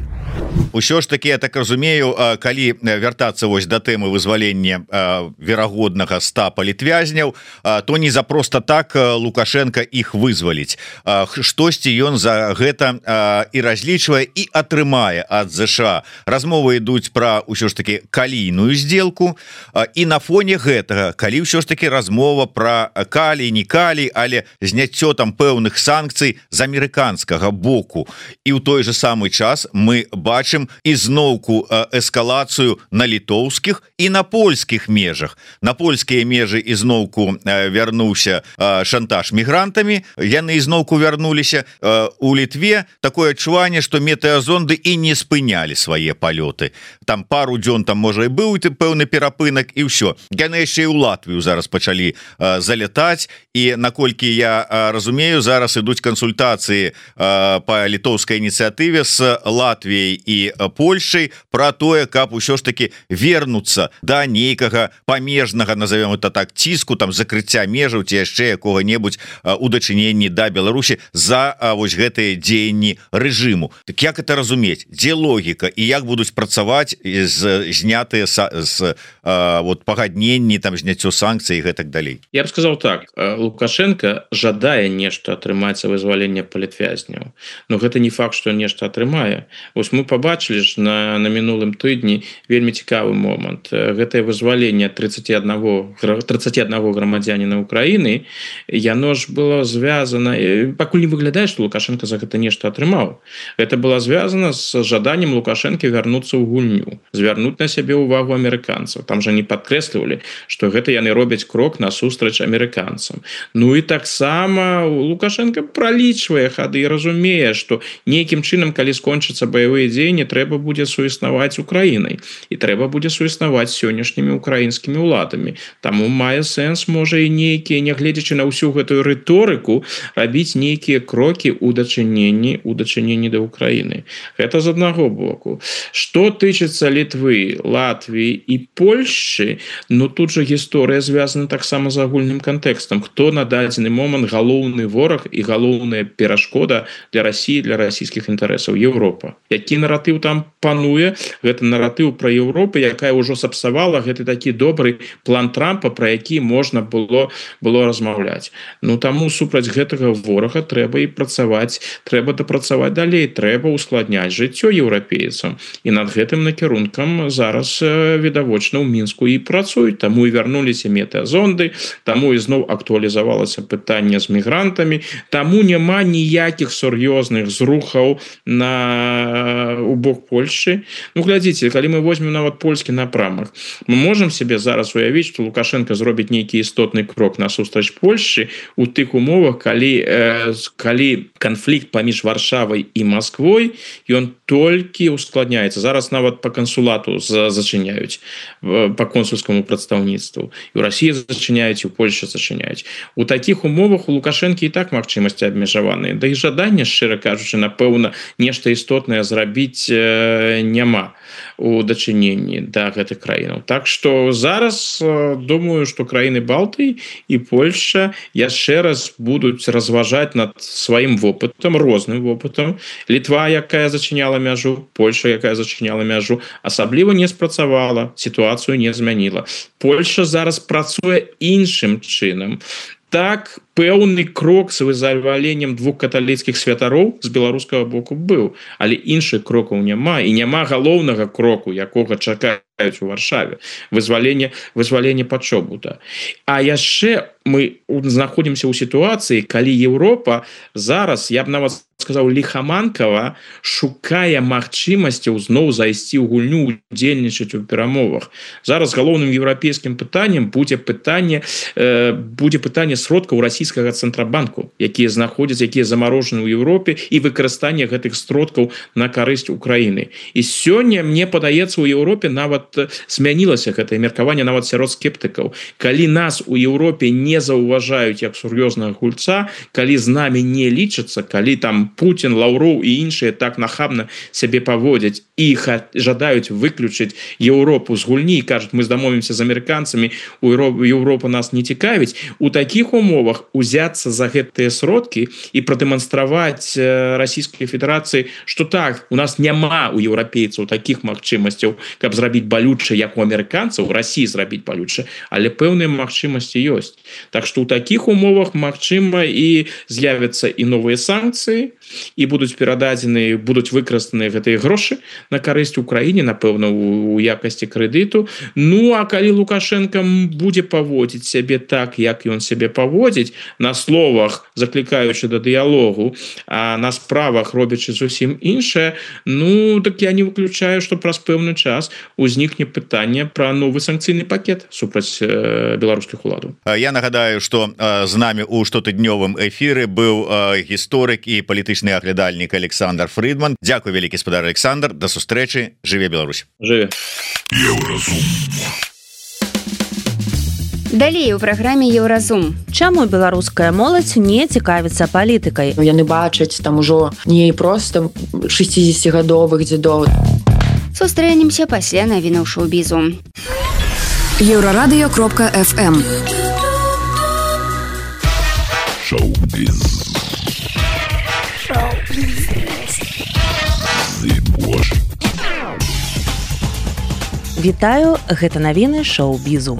Усё ж таки, я так разумею, калі вяртацца вось да тэмы вызвалення верагоднага ста палітвязняў, то не за просто так Лукашенко іх вызваліць. Штосьці ён за гэта і разлічвае і атрымае ад ЗША. Размовы ідуць пра ўсё ж таки калійную сделку, і на фоне гэтага, калі ўсё ж таки размова пра калій, не калій, але зняццё там пэўных санкцый з амерыканскага боку. І ў той же самы час мы бачым ізноўку эскалацыю на літоўскіх і на польскіх межах. На польскія межы ізноўку вярнуўся шантаж мігрантамі, яны ізноўку вярнуліся. У Літве такое адчуванне, што метэазонды і не спынялі свае палёты. Там пару дзён там можа і быў пэўны перапынак і ўсё. Яны яшчэ і ў Латвію зараз пачалі залятаць, і наколькі я разумею, зараз ідуць кансультацыі па літоўскай ініцыятыве з Латвіяй і Польшай пра тое, каб усё ж таки вернуцца да нейкага памежнага, назовем это так, ціску, там закрыцця межаў ці яшчэ якога-небудзь у дачыненні да Беларусі за вось гэтыя дзеянні рэжыму. Так як это разумець? Дзе логіка і як будуць працаваць з знятыя з вот пагадненні, там зняццё санкцый і гэтак далей? Я б сказаў так, Лукашенко жадае нешта атрымаць за вызваленне палітвязняў, но гэта не факт, што нешта атрымае. Вось мы побачылі ж на, на мінулым тыдні вельмі цікавы момант. Гэтае вызваленне тридцать один грамадзяніна Украіны, яно ж было звязана, пакуль не выглядае, што Лукашенко за гэта нешта атрымаў. Гэта было звязана з жаданнем Лукашенко вярнуцца ў гульню, звярнуць на сябе ўвагу амерыканцаў. Там жа не падкрэслівалі, што гэта яны робяць крок насустрач амерыканцам. Ну і таксама Лукашенко пралічвае хады і разумее, што нейкім чынам, калі скончацца баявыя дзеянні, трэба будзе суіснаваць Украінай і трэба будзе суіснаваць сённяшнімі украінскімі ўладамі. Таму мае сэнс, можа, і нейкія, нягледзячы на ўсю гэтую рыторыку, рабіць нейкія крокі ў дачыненні ў дачыненні да Украіны. Гэта з аднаго боку. Што тычыцца Літвы, Латвіі і Польшчы, ну тут жа гісторыя звязана таксама з агульным кантэкстам. Хто на дадзены момант галоўны вораг і галоўная перашкода для Расіі, для расійскіх інтарэсаў? Еўропа. Які наратыў там пануе? Гэта наратыў пра Еўропу, якая ўжо сапсавала гэты такі добры план Трампа, пра які можна было было размаўляць. Ну таму супраць гэтага ворага трэба і працаваць, трэба дапрацаваць далей, трэба ускладняць жыццё еўрапейцам. І над гэтым накірункам зараз відавочна ў Мінску і працуюць. Таму і вярнуліся метэазонды, таму ізноў актуалізавалася пытанне з мігрантамі, таму няма ніякіх сур'ёзных зрухаў на у бок Польшчы. Ну глядзіце, калі мы возьмем нават польскі напрамак, мы можам себе зараз уявіць, што Лукашенко зробіць нейкі істотны крок насустрач Польшчы у тых умовах, калі, э, калі канфлікт паміж Варшавай і Масквой, ён толькі ускладняецца. Зараз нават па кансулату зачыняюць, па консульскаму прадстаўніцтву. І ў Расіі зачыняюць, і ў Польшчы зачыняюць. У такіх умовах у Лукашэнкі і так магчымасці абмежаваныя. Да і жадання, шчыра кажучы, напэўна, нешта істотнае зрабіць э, няма у дачыненні да гэтых краінаў. Так што зараз э, думаю, што краіны Балтыі і Польшча яшчэ раз будуць разважаць над сваім вопытам, розным вопытам. Літва, якая зачыняла мяжу, Польша, якая зачыняла мяжу, асабліва не спрацавала, сітуацыю не змяніла. Польша зараз працуе іншым чынам. Так, пэўны крок з вызваленнем двух каталіцкіх святароў з беларускага боку быў, але іншых крокаў няма, і няма галоўнага кроку, якога чакаюць у Варшаве, вызваленне, вызваленне Пачобута. А яшчэ мы знаходзімся ў сітуацыі, калі Еўропа зараз, я б нават сказаў, ліхаманкава шукае магчымасцяў зноў зайсці ў гульню, удзельнічаць у перамовах. Зараз галоўным еўрапейскім пытаннем будзе пытанне, э, будзе пытанне сродкаў расійскага цэнтрабанку, якія знаходзяцца, якія замарожаны ў Еўропе, і выкарыстанне гэтых сродкаў на карысць Украіны. І сёння, мне падаецца, у Еўропе нават змянілася гэтае меркаванне нават сярод скептыкаў. Калі нас у Еўропе не заўважаюць як сур'ёзнага гульца, калі з намі не лічацца, калі там Путін, Лаўроў і іншыя так нахабна сябе паводзяць і жадаюць выключыць Еўропу з гульні і кажуць, мы здамовімся з амерыканцамі, у Еўропа нас не цікавіць, у такіх умовах узяцца за гэтыя сродкі і прадэманстраваць Расійскай Федэрацыі, што так, у нас няма у еўрапейцаў такіх магчымасцяў, каб зрабіць балюча, як у амерыканцаў, Расіі зрабіць балюча, але пэўныя магчымасці ёсць. Так што ў такіх умовах магчыма і з'явяцца і новыя санкцыі, і будуць перададзены, будуць выкарыстаныя гэтыя грошы на карысць Украіне, напэўна, у якасці крэдыту. Ну, а калі Лукашенко будзе паводзіць сябе так, як ён сябе паводзіць, на словах заклікаючы да дыялогу, а на справах робячы зусім іншае, ну, так я не выключаю, што праз пэўны час узнікне пытанне пра новы санкцыйны пакет супраць э, беларускіх уладаў. Я нагадаю, што э, з намі ў штотыднёвым эфіры быў э, гісторык і палітычны аглядальнік Александр Фрыдман. Дзякуй вялікі, спадар Александр, да сустрэчы, жыве Беларусь. Жыве. Далей у праграме Еўразум. Чаму беларуская моладзь не цікавіцца палітыкай? Яны бачаць там ужо не проста шэсцідзесяцігадовых дзедоў. Сустрэнемся пасля навінаў шоу-бізу. Еўрарадыё кропка эф эм. Шоу-біз. Вітаю, гэта навіны шоу-бізу.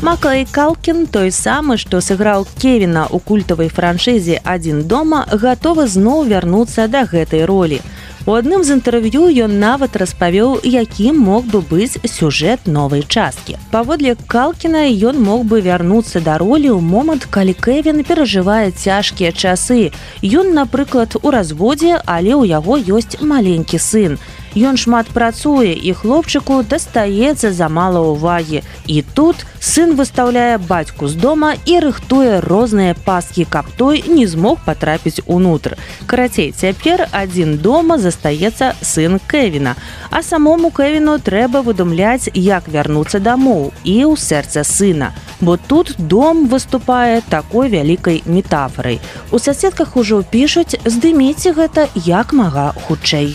Макалей Калкін, той самы, што сыграў Кевіна ў культавай франшызе «Адзін дома», гатовы зноў вярнуцца да гэтай ролі. У адным з інтэрв'ю ён нават распавёў, якім мог бы быць сюжэт новай часткі. Паводле Калкіна, ён мог бы вярнуцца да ролі ў момант, калі Кевін перажывае цяжкія часы. Ён, напрыклад, у разводзе, але ў яго ёсць маленькі сын. Ён шмат працуе, і хлопчыку дастаецца замала ўвагі. І тут сын выстаўляе бацьку з дома і рыхтуе розныя пасткі, каб той не змог патрапіць унутр. Карацей, цяпер адзін дома застаецца сын Кевіна. А самому Кевіну трэба выдумляць, як вярнуцца дамоў і ў сэрца сына. Бо тут дом выступае такой вялікай метафорай. У соседках ужо пішуць: здыміце гэта як мага хутчэй.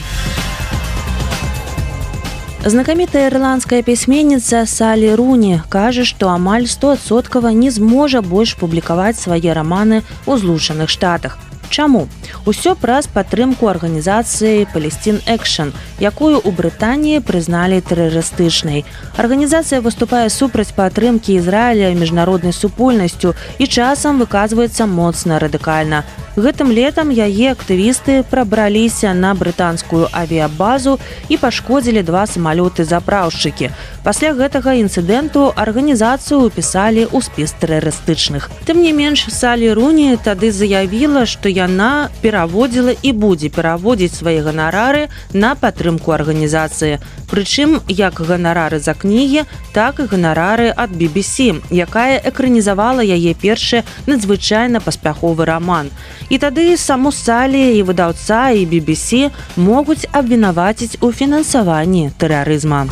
Знакамітая ірландская пісьменніца Салі Руні кажа, што амаль стоадсоткава не зможа больш публікаваць свае раманы ў Злучаных Штатах. Чаму? Усё праз падтрымку арганізацыі Palestine Action, якую ў Брытаніі прызналі тэрарыстычнай. Арганізацыя выступае супраць падтрымкі Ізраіля міжнароднай супольнасцю і часам выказваецца моцна радыкальна. Гэтым летам яе актывісты прабраліся на брытанскую авіябазу і пашкодзілі два самалёты-запраўшчыкі. Пасля гэтага інцыдэнту арганізацыю ўпісалі ў спіс тэрарыстычных. Тым не менш, Салі Руні тады заявіла, што яна пераводзіла і будзе пераводзіць свае ганарары на падтрымку арганізацыі. Прычым, як ганарары за кнігі, так і ганарары ад би би сі, якая экранізавала яе першы надзвычайна паспяховы раман. І тады саму Салі і выдаўца і би би сі могуць абвінаваціць у фінансаванні тэрарызма.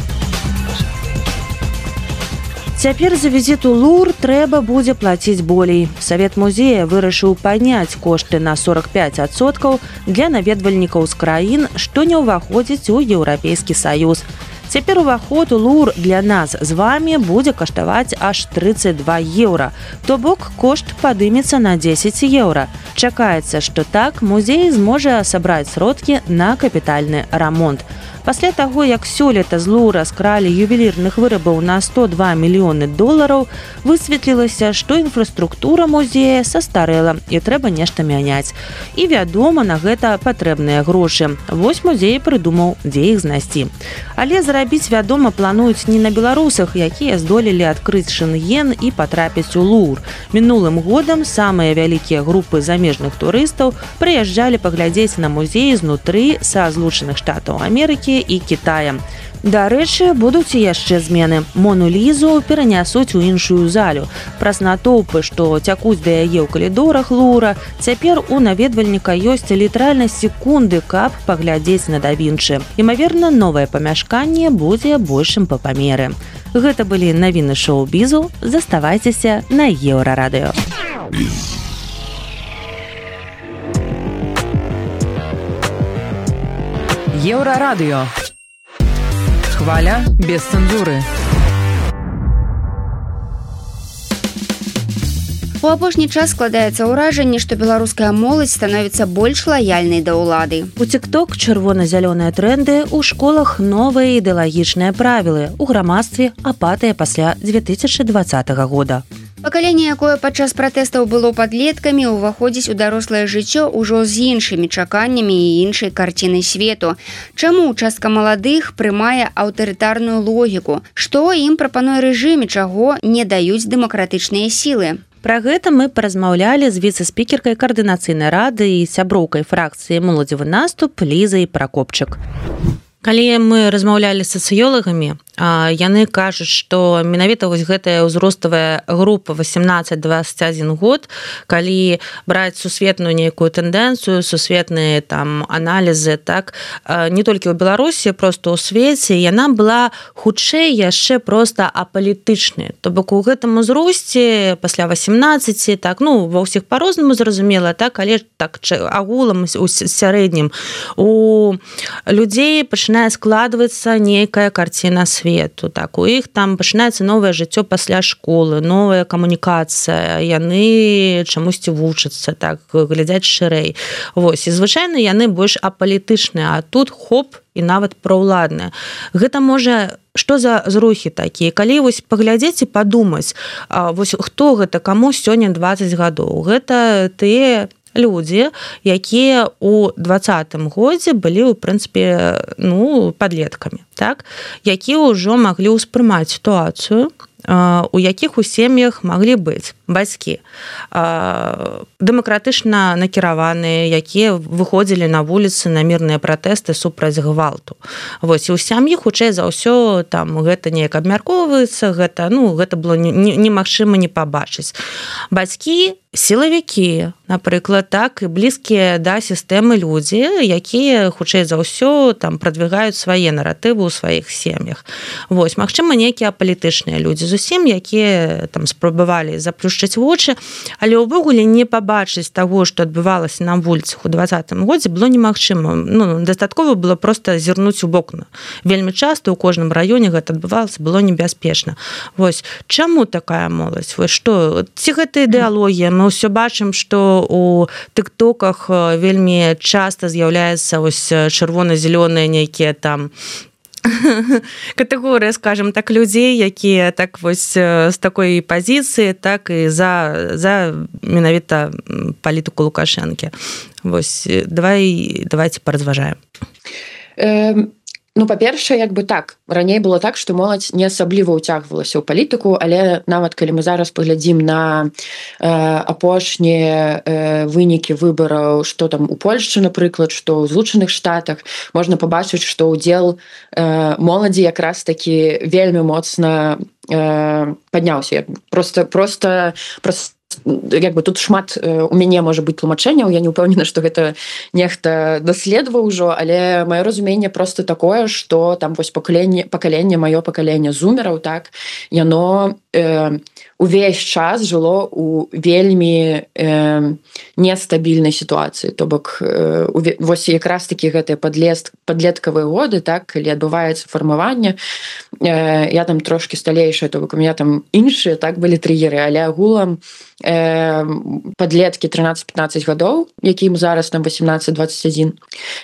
Цяпер за візіт у Лур трэба будзе плаціць болей. Савет музея вырашыў падняць кошты на сорок пять адсоткаў для наведвальнікаў з краін, што не ўваходзіць у Еўрапейскі Саюз. Цяпер уваход у Лур для нас з вамі будзе каштаваць аж тридцать два еўра. То бок кошт падымецца на дзесяць еўра. Чакаецца, што так музей зможа сабраць сродкі на капітальны рамонт. Пасля таго, як сёлета з Лура скралі ювелірных вырабаў на сто два мільёны долараў, высветлілася, што інфраструктура музея састарэла і трэба нешта мяняць. І, вядома, на гэта патрэбныя грошы. Вось музей прыдумаў, дзе іх знайсці. Але зарабіць, вядома, плануюць не на беларусах, якія здолелі адкрыць Шэнген і патрапіць у Лур. Мінулым годам самыя вялікія групы замежных турыстаў прыязджалі паглядзець на музей знутры са Злучаных Штатаў Амерыкі і Кітая. Дарэчы, будуць і яшчэ змены. Мону Лізу перанясуць у іншую залю. Праз натоўпы, што цякуць да яе ў калідорах Лура, цяпер у наведвальніка ёсць літаральна секунды, каб паглядзець на да Вінчы. Імаверна, новае памяшканне будзе большым па памеры. Гэта былі навіны шоу-бізу. Заставайцеся на Еўрарадыё. Еўрарадыё. Хваля без цэнзуры. У апошні час складаецца ўражанне, што беларуская моладзь становіцца больш лаяльнай да ўлады. У TikTok чырвона-зялёныя тренды, у школах новыя ідэалагічныя правілы, у грамадстве апатыя пасля две тысячи двадцатага года. Пакаленне, якое падчас пратэстаў было падлеткамі, уваходзіць у дарослае жыццё ўжо з іншымі чаканнямі і іншай карцінай свету. Чаму частка маладых прымае аўтарытарную логіку? Што ім прапануе рэжым і чаго не даюць дэмакратычныя сілы? Пра гэта мы паразмаўлялі з віцэ-спікеркай каардынацыйнай рады і сяброўкай фракцыі «Моладзевы наступ» Лізай Пракопчык. Калі мы размаўлялі з сацыёлагамі, яны кажуць, што менавіта вось гэтая ўзроставая група восемнадцать двадцать один год, калі браць сусветную нейкую тэндэнцыю, сусветныя там аналізы, так, не толькі ў Беларусі, просто ў свеце, яна была хутчэй яшчэ проста апалітычнай. То бок у гэтым узросце пасля восемнадцати, так, ну, ва ўсіх па-рознаму зразумела, так, але так агулам у сярэднім у людзей пачынае складвацца нейкая карціна свету. свету, так у іх там пачынаецца новае жыццё пасля школы, новая камунікацыя, яны чамусьці вучацца, так глядзяць шырэй. Вось, і звычайна яны больш апалітычныя, а тут хоп, і нават праўладныя. Гэта можа што за зрухі такія? Калі вось паглядзець і падумаць, вось хто гэта, каму сёння дваццаць гадоў? Гэта тыя людзі, якія ў двадцатым годзе былі, ў прынцыпе, ну, падлеткамі, так? Якія ўжо маглі ўспрымаць сітуацыю, у якіх у сем'ях маглі быць бацькі дэмакратычна накіраваныя, якія выходзілі на вуліцы на мірныя пратэсты супраць гвалту. Вось, і ў сям'і хутчэй за ўсё там гэта неяк абмяркоўваецца, гэта, ну, гэта было немагчыма не пабачыць. Бацькі сілавікі, напрыклад, так, і блізкія да сістэмы людзі, якія хутчэй за ўсё там прадвігаюць свае наратывы ў сваіх сем'ях. Вось, магчыма, нейкія апалітычныя людзі зусім, якія там спрабавалі заплюшчыць вочы, але ўвогуле не пабачыць таго, што адбывалася на вуліцах у двадцатым годзе, было немагчыма. Ну, дастаткова было проста зірнуць у вокна. Вельмі часта ў кожным раёне гэта адбывалася, было небяспечна. Вось, чаму такая моладзь? Вось што, ці гэта ідэалогія? Мы ўсё бачым, што у тыктоках вельмі часта з'яўляецца ось чырвона-зялёныя нейкія там катэгорыя, скажем так, людзей, якія так вось з такой пазіцыі, так і за, за менавіта палітыку Лукашэнкі. Вось, давай, давайте паразважаем. Эм... Ну, па-першае, як бы так, раней было так, што моладзь не асабліва ўцягвалася ў палітыку, але нават калі мы зараз паглядзім на э, апошнія э, вынікі выбараў, што там у Польшчы, напрыклад, што ў Злучаных Штатах, можна пабачыць, што ўдзел э, моладзі якраз такі вельмі моцна э, падняўся. Просто, просто, просто як бы тут шмат у мяне можа быць тлумачэнняў, я не ўпэўнена, што гэта нехта даследаваў ужо, але маё разуменне просто такое, што там вось пакаленне, пакаленне, маё пакаленне зумераў, так, яно э, увесь час жыло у вельмі э, нестабільнай сітуацыі. То бок э, вось якраз такі гэтыя падлеткавыя годы, так, калі адбываецца фармаванне, э, я там трошкі сталейшая, то бок у меня там іншыя, так, былі трыгеры, але агулам э, падлеткі трынаццаць-пятнаццаць гадоў, якім зараз там восемнадцать двадцать один,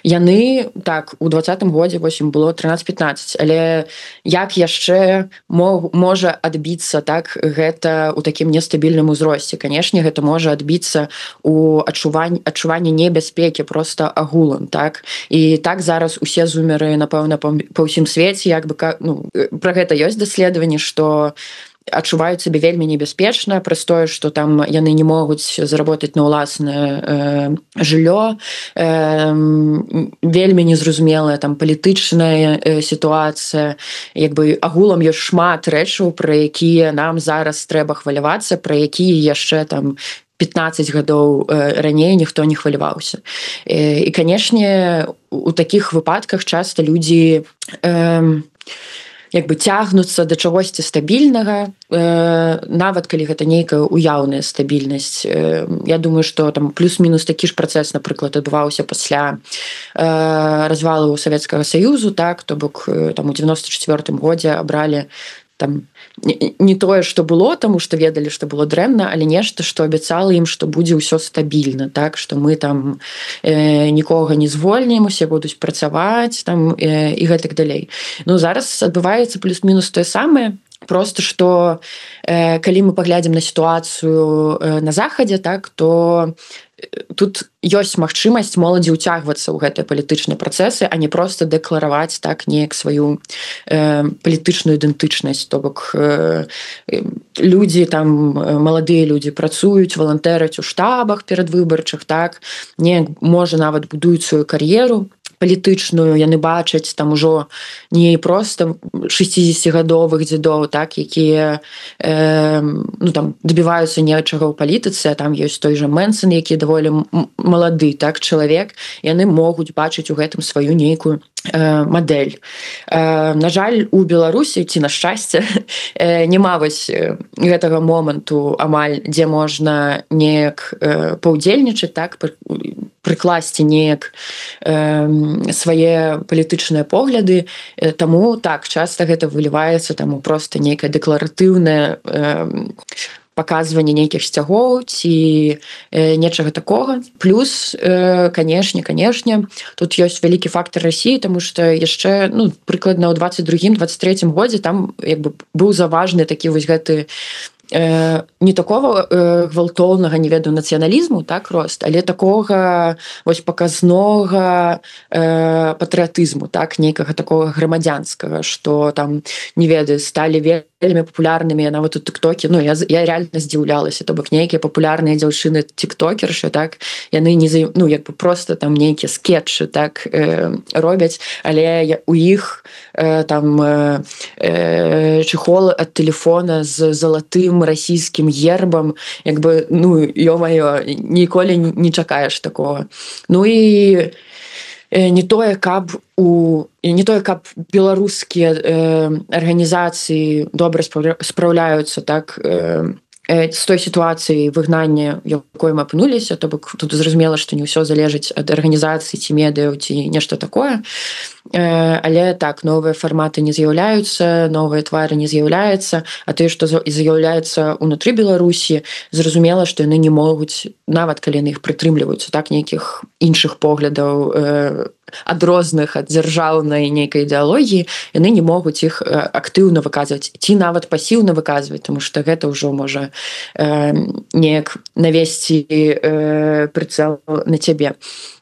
яны, так, у двадцатым годзе вось ім было трынаццаць-пятнаццаць, але як яшчэ мог, можа адбіцца, так, гэта у такім нестабільным узросце? Канешне, гэта можа адбіцца у адчуванні, адчуванні небяспекі просто агулам, так? І так зараз усе зумеры, напэўна, па, па ўсім свеце, як бы, ну, пра гэта ёсць даследаванні, што адчуваюць сабе вельмі небяспечна праз тое, што там яны не могуць заработаць на ўласнае э, жыллё, э, вельмі незразумелая там палітычная э, сітуацыя, як бы агулам ёсць шмат рэчаў, пра якія нам зараз трэба хвалявацца, пра якія яшчэ там пятнаццаць гадоў э, раней ніхто не хваляваўся. Э, і, канешне, у такіх выпадках часта людзі э, як бы цягнуцца да чагосьці стабільнага, э, нават калі гэта нейкая уяўная стабільнасць. Э, я думаю, што там плюс-мінус такі ж працэс, напрыклад, адбываўся пасля э, развалу Савецкага Саюзу, так, то бок там у девяносто четвёртым годзе абралі там не, не тое, што было, таму што ведалі, што было дрэнна, але нешта, што абяцала ім, што будзе ўсё стабільна, так, што мы там э, нікога не звольнім, усе будуць працаваць там э, і гэтак далей. Ну, зараз адбываецца плюс-мінус тое самае, просто што э, калі мы паглядзім на сітуацыю э, на захадзе, так, то тут ёсць магчымасць моладзі ўцягвацца ў гэтыя палітычныя працэсы, а не проста дэклараваць так неяк сваю э, палітычную ідэнтычнасць. То бок э, людзі там, маладыя людзі працуюць, валантэраць у штабах перадвыбарчых, так, неяк можа нават будуюць сваю кар'еру палітычную, яны бачаць там ужо не проста шэсцідзесяцігадовых дзедоў, так, якія э, ну, там дабіваюцца нечага ў палітыцы, а там ёсць той жа Мэнсон, які даволі малады, так, чалавек, яны могуць бачыць у гэтым сваю нейкую мадэль. На жаль, у Беларусі ці на шчасце няма вось гэтага моманту амаль, дзе можна неяк паўдзельнічаць, так, прыкласці неяк свае палітычныя погляды. Таму так, часта гэта выліваецца таму проста нейкае дэкларатыўнае паказванне нейкіх сцягоў ці э, нечага такога. Плюс, э, канешне, канешне, тут ёсць вялікі фактор Расіі, таму што яшчэ, ну, прыкладна ў дваццаць другім дваццаць трэцім годзе там як бы быў заважны такі вось гэты э, не такого э, гвалтоўнага, не ведаю, нацыяналізму, так, рост, але такога вось паказнога э, патрыятызму, так, нейкага такога грамадзянскага, што там, не ведаю, сталі вельмі вельмі папулярнымі нават у тиктоке. Ну, я, я реально здзіўлялася, то бок нейкія папулярныя дзяўчыны тиктокершы, так, яны не за, ну, як бы просто там нейкія скетчы, так, э, робяць, але у іх э, там э, э, чехол ад телефона з залатым расійскім гербам, як бы, ну, ё-маё, ніколі не чакаеш такого. Ну і не тое, каб у не тое, каб беларускія э, арганізацыі добра спраўляюцца, так, э, з той сітуацыі выгнання, якой мы апынуліся, то бок тут зразумела, што не ўсё залежыць ад арганізацыі ці медыяў ці нешта такое. Але так, новыя фарматы не з'яўляюцца, новыя твары не з'яўляюцца, а тыя, што з'яўляюцца ўнутры Беларусі, зразумела, што яны не могуць, нават калі яны іх прытрымліваюцца, так, нейкіх іншых поглядаў, адрозных ад дзяржаўнай нейкай ідэалогіі, яны не могуць іх актыўна выказваць, ці нават пасіўна выказваць, тому што гэта ўжо можа э, неяк навесці э, прыцэл на цябе.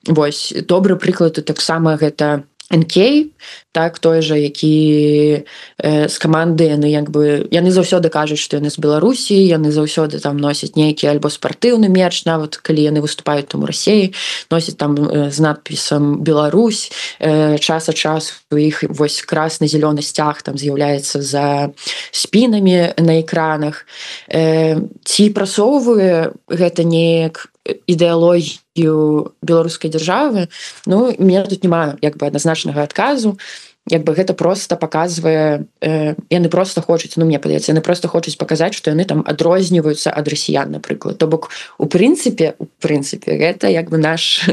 Вось, добры прыклад таксама гэта эн кей, так, той жа, які э, з каманды, яны як бы, яны заўсёды кажуць, што яны з Беларусі, яны заўсёды там носяць нейкі альбо спартыўны мерч, нават калі яны выступаюць там у Расіі, носяць там э, з надпісам Беларусь, э, час ад часу у іх вось красна-зелёны сцяг там з'яўляецца за спінамі на экранах. Э, ці прасоўвае гэта неяк ідэалогію беларускай дзяржавы, ну, мне тут няма як бы адназначнага адказу. Як бы гэта просто паказвае, э, яны просто хочуць, ну, мне падаецца, яны просто хочуць паказаць, што яны там адрозніваюцца ад расіян, напрыклад. То бок, у прынцыпе, у прынцыпе, гэта як бы наш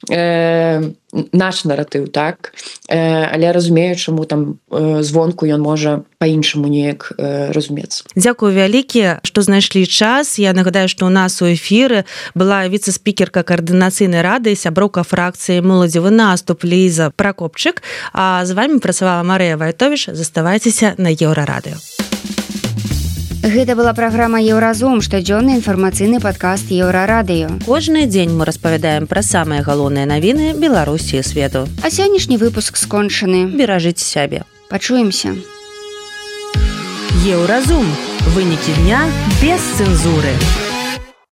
э, наш наратыў, так, э, але разумею, чаму там э, звонку ён можа па-іншаму неяк э, разумецца. Дзякую вялікі, што знайшлі час. Я нагадаю, што ў нас у эфіры была віцэ-спікерка каардынацыйнай рады, сяброўка фракцыі «Моладзевы наступ» Ліза Пракопчык, а з вами працавала Марыя Вайтовіч. Заставайцеся на Еўрарадыё. Гэта была праграма «Еўразум», штодзённы інфармацыйны падкаст Еўрарадыё. Кожны дзень мы распавядаем пра самыя галоўныя навіны Беларусі і свету. А сённяшні выпуск скончаны. Беражыце сябе. Пачуемся. Еўразум. Вынікі дня без цэнзуры.